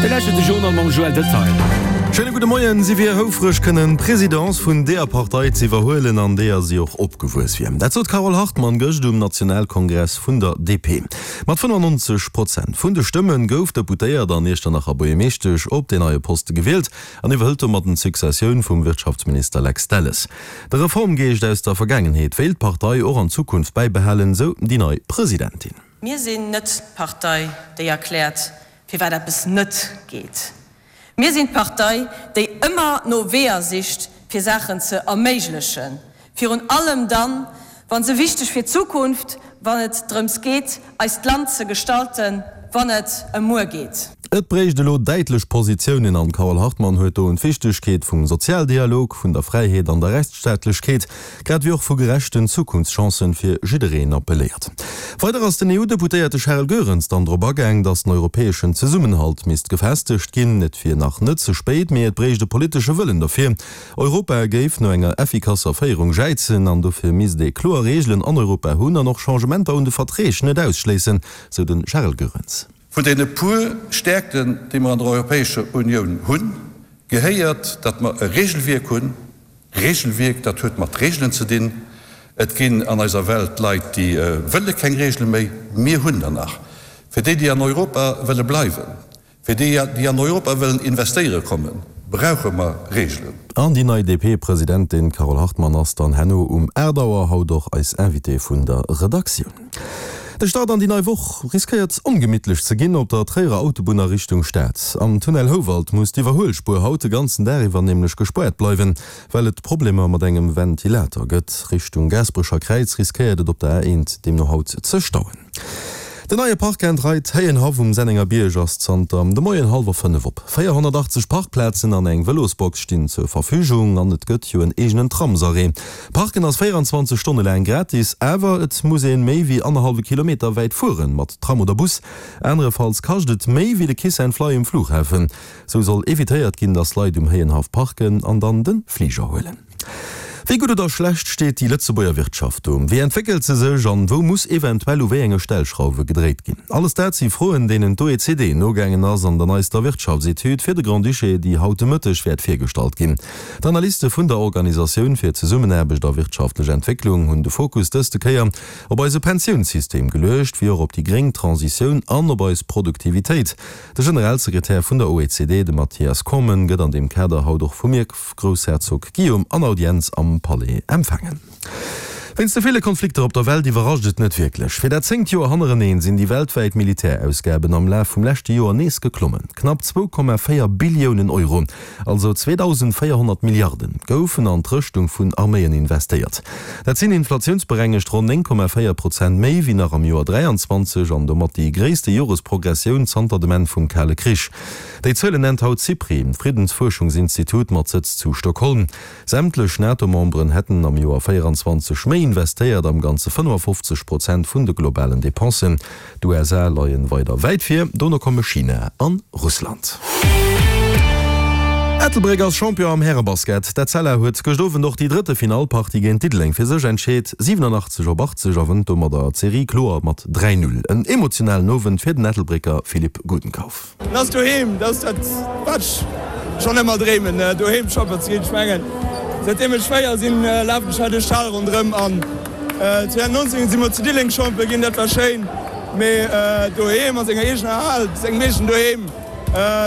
Dir lauschtert de Journal mam Joël Detail. Schéine gudde Moien. Si wier houfreg kënnen d'Presidence vun deeër Partei ze iwwerhuelen, an deeër si och opgewuess wier. Dat sot d'Carole Hartmann gëscht um Nationalkongress vun der DP. Mat 95 Prozent vun de Stëmme gouf d'Deputéiert an Iechternacher Buergermeeschtesch op deen neie Poste gewielt an iwwerhëlt domadden d'Successioun vum Wirtschaftsminister Lex Delles. De Reformgeescht aus der Vergaangenheet wéilt d'Partei och an Zukunft bäibehalen, sou déi nei Presidentin. Mir sinn net d'Partei, déi erkläert, firwat eppes net geet. Mir sinn d'Partei, déi ëmmer no Weeër sicht, fir Saachen ze erméiglechen, virun allem dann, wa se wichteg fir d'Zukunft, wann et drëms geet, eist Land ze gestalten, wann et ëm muer geet. Et bréicht elo däitlech Positiounen an d'Carole Hartmann huet do un d'Wichtegkeet vum Sozialdialog, vun der Fräiheet an der Rechtsstaatlechkeet, grad ewéi och vu gerechten Zukunftschancen fir jiddereen appelléiert. Weider ass den EU-Deputéierte Charel Goerens dann drop agaang, datt den europäeschen Zesummenhalt misst gefestegt ginn. Et wier nach net ze spéit, mee et bréicht e politesche Wëllen derfir. Europa géif no enger effikasser Féierung jäizen an dofir misst ee kloer Reegelen an Europa hunn an och Changementer un de Verträg net ausschléissen, sou de Charel Goerens. Vun deene puer Stäerkten, déi mer an der Europäescher Unioun hunn, gehéiert, datt mer e Regelwierk hunn, Regelwierk, dat huet mat Regelen ze dinn. Et ginn an eiser Welt Leit, déi wëlle keng Regele méi. Mir hunn der nach. Fir déi, déi an Europa wëlle bleiwen, fir déi, déi an Europa wëllen investéiere kommen, brauche mer Regelen. An déi nei DP-Presidentin Carole Hartmann ass dann herno um 8 Auer haut och eis Invitée vun der Redaktioun. De Start an déi nei Woch riskéiert ongemittlech ze ginn op der Tréierer Autobunn a Richtung Stad. Am Tunnel Houwald muss d'Iwwerhuelspuer haut de ganzen Dag iwwer nämlech gespaart bleiwen, well et Problemer mat engem Ventilator gëtt. Richtung Gaasperecher Kräiz riskéiert et op der A1 deemno haut ze stauen. Den neie Park and Ride Héienhaff um Sennengerbierg ass zanter de Moien hallwer 5 op. 480 Parkplazen an eng Vëlosbox stinn zur Verfügung an et gëtt jo en eegenen Tramsarrêt. Parken ass 24 Stonne laang gratis, awer et muss een méi wéi annerhallwe Kilometer wäit fueren, mat Tram oder Bus. Anerefalls kascht et méi wéi de Kiss and Fly um Flughafen. Sou soll evitéiert ginn, dass Leit um Héienhaff parken an dann de Fliger huelen. Wéi gutt oder schlecht steet déi Lëtzebuerger Wirtschaft do? Wéi entwéckelt se sech an wou muss eventuell u wéi enge Stellschrauwe gedréit ginn? Alles dat si Froen, deenen d'OECD nogaangen ass an der neister Wirtschaftsetüd fir de Grand-Duché, déi haut de Mëtteg wäert virgestallt ginn. D'Analyste vun der Organisatioun fir Zesummenaarbecht a wirtschaftlech Entwécklung hunn de Fokus dëste Kéier op eise Pensiounssystem geluecht, wéi och op déi gréng Transitioun an op eis Produktivitéit. De Generalsekretär vun der OECD, de Mathias Cormann, gëtt an deem Kader haut och vum Ierfgroussherzog Guillaume an Audienz am Palais empfaangen. Wéinst de ville Konflikter op der Welt iwwerrascht et net wierklech. Fir dat zéngt Joer hannereneen sinn déi weltwäit Militärausgaben am Laf vum leschte Joer nees geklommen. Knapp 2,4 Billiounen Euro, also 2.400 Milliarden, goufen an d'Rëschtung vun Arméien investéiert. Dat sinn inflatiounsberengegt ronn 9,4 Prozent méi wéi nach am Joer 23 an domat déi gréisste Joresprogressioun zanter dem Enn vum Kale Krich. Déi Zuelen nennt haut d'SIPRI, d'Friddensfuerschungsinstitut mat Sëtz zu Stockholm. Sämtlech NATO-Memberen hätten am Joer 24 méi investéiert, am Ganze 55 Prozent vun de globalen Depensen. D'USA leien weider wäit vir, dono komme China an Russland. Ettelbréck ass Champion am Härebasket. D'Etzella huet gëscht Owend och déi drëtte Finallpartie géint Diddeleng fir sech entscheet, 87 op 80 a wënnt domadder d'Serie kloer mat 3, 0. En emotionalen Owend fir den Ettelbrécker Philippe Gudenkauf. En ass doheem, dat ass dat wat ech schonn ëmmer dreemen, doheem Champion ze ginn. Ech mengen säitdeem ech 4 sinn, lafen ech hei duerch d'Hal ronderëm an 2019 si mer zu Diddeleng Champion ginn, dat war schéin, mee doheem a senger eegener Hal, sengem eegenen Doheem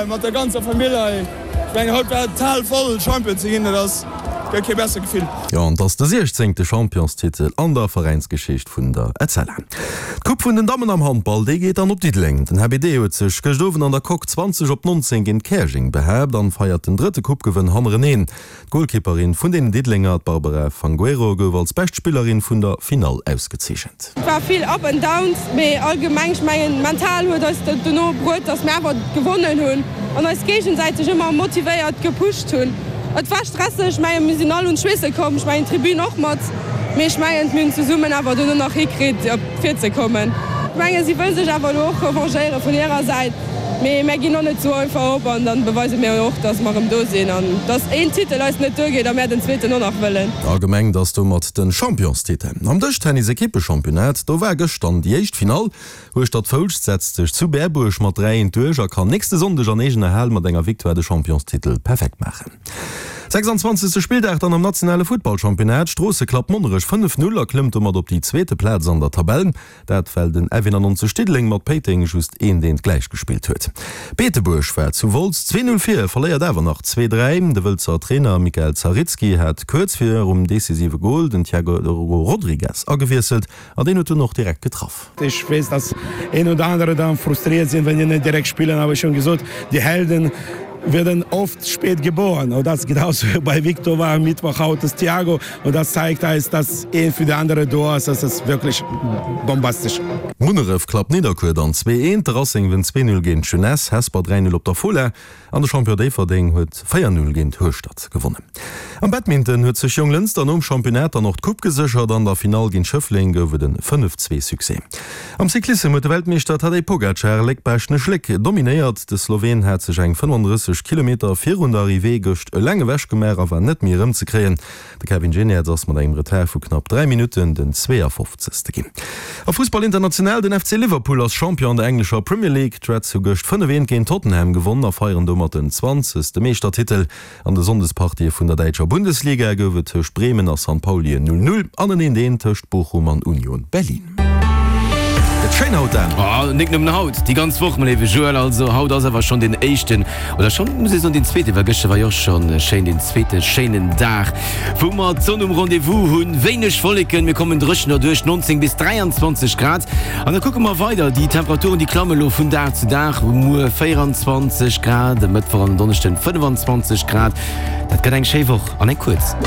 mat der ganzer Famill hei, ech mengen haut war d'Hal voll, Champion ze ginn, dat ass, gëtt kee bessert Gefill. Jo, an et ass de siechzéngte Championstitel an der Veräinsgeschicht vun der Etzella. D'Coupe vun den Dammen am Handball, déi geet dann op Diddeleng. Den HBD huet sech gëscht Owend an der Coque 20 op 19 géint Käerjeng behaapt an feiert den drëtte Coupe-Gewënn hannereneen. D'Golkipperin vun den Diddelenger, d'Barbara Fangueiro, gouf als bescht Spillerin vun der Finall ausgezeechent. Et war vill Up and Downs, mee allgemeng, ech mengen mental huet eis dat dono bruet, dass mir awer gewonnen hunn an eis géigesäiteg ëmmer motivéiert gepusht hunn. Et war stresseg, ech mengen mir sinn all un d'Schweesse komm, ech mengen d'Tribün och mat, mee ech mengen mir hunn zesummen awer dono nach hikritt op vir ze kommen. Ech mengen si wëll sech awer elo och revanchéiere vun hirer Säit. Mee mär ginn och net sou einfach op an dann beweise mir och, dass mer erëm do sinn an dass een Titel eis net duergeet a mär den zweeten och nach wëllen. A gemengt ass domat de Championstitel. Am Dëschtennis-Ekippechampionnat, do war gëscht dann déi éischt Finall. Hueschtert-Foulscht setzt sech zu Berbuerg mat 3, 1 duerch a kann nächste Sonndeg an eegener Hal mat enger Victoire de Championstitel perfekt maachen. 26. Spilldag dann am nationale Futtballchampionnat, Stroosse klappt Monnerech 5, 0 a klëmmt domat op déi zweete Plaz an der Tabell. Dat well den F91 Diddeleng mat Péiteng just eent eent gläich gespillt huet. Beetebuerg war zu Wolz 2, 0 vir, verléiert awer nach 2, 3. De Wëlzer Trainer Mikael Zarycki hat kuerz virum decisive Gol den Thiago Rodrigues agewiesselt an deen huet dunn och direkt getraff. Ech weess, dass een oder andere dann frustriert sinn, wenn die net direkt spillen, awer ech hunn gesot, die Helden werden oft spät geboren und das genauso bei Victor war am Mittwoch haut das Thiago und das zeigt eis, dass een für de andere do ass, das ass wirklich bombastisch. Munneref klappt Nidderkuer dann 2, 1, de Racing wënnt 2, 0 géint d'Jeunesse, Hesper 3, 0 op der Fola. An de Champion Déifferdeng huet 4, 0 géint Hueschtert gewonnen. Am Badminton huet sech Jonglënster nom Championnat dann och d'Coupe geséchert. An der Finall géint Schëffleng gouf et en 5, 2 Succès. Am Cyclissem huet de Weltmeeschter Tadej Pogacar Léck-Baaschtnech-Léck dominéiert. De Sloween hat sech eng 35 Kilometer virun der Arrivée gëscht eleng ewech gemaach a war net méi erëmzekréien. De Kevin Geniets ass mat engem Retard vu knapp 3 Minutten den 52. Ginn. A Fussball international, Den FC Liverpool ass Champion an der englescher Premier League. D'Reds hu gëscht 5, 1 géint Tottenham gewonn a feieren domat den 20. Meeschtertitel. An de Sonndespartië vun der däitscher Bundesliga gouf et tëscht Bremen a San Pauli en 0, 0 an en 1, 1 tëscht Bochum an Union Berlin. Gëtt schéin haut, Dan! Oh, nik nëmmen haut, déi ganz Woch, mein léiwe Joël. Also haut ass awer schonn den éischten, oder schonn, muss ee soen, den zweeten, well gëschter war jo och schonn schéin, den zweete schéinen Dag, wou mer d'Sonn um Rendez-vous hunn. Wéineg Wolleken, mir kommen dréchen erduerch, 19 bis 23 Grad. An da kucke mer weider, déi Temperaturen, déi klamme lo vun Dag zu Dag. Muer 24 Grad, e Mëttwoch an en Donneschden 25 Grad. Dat gëtt eng schéi Woch an eng kuerz.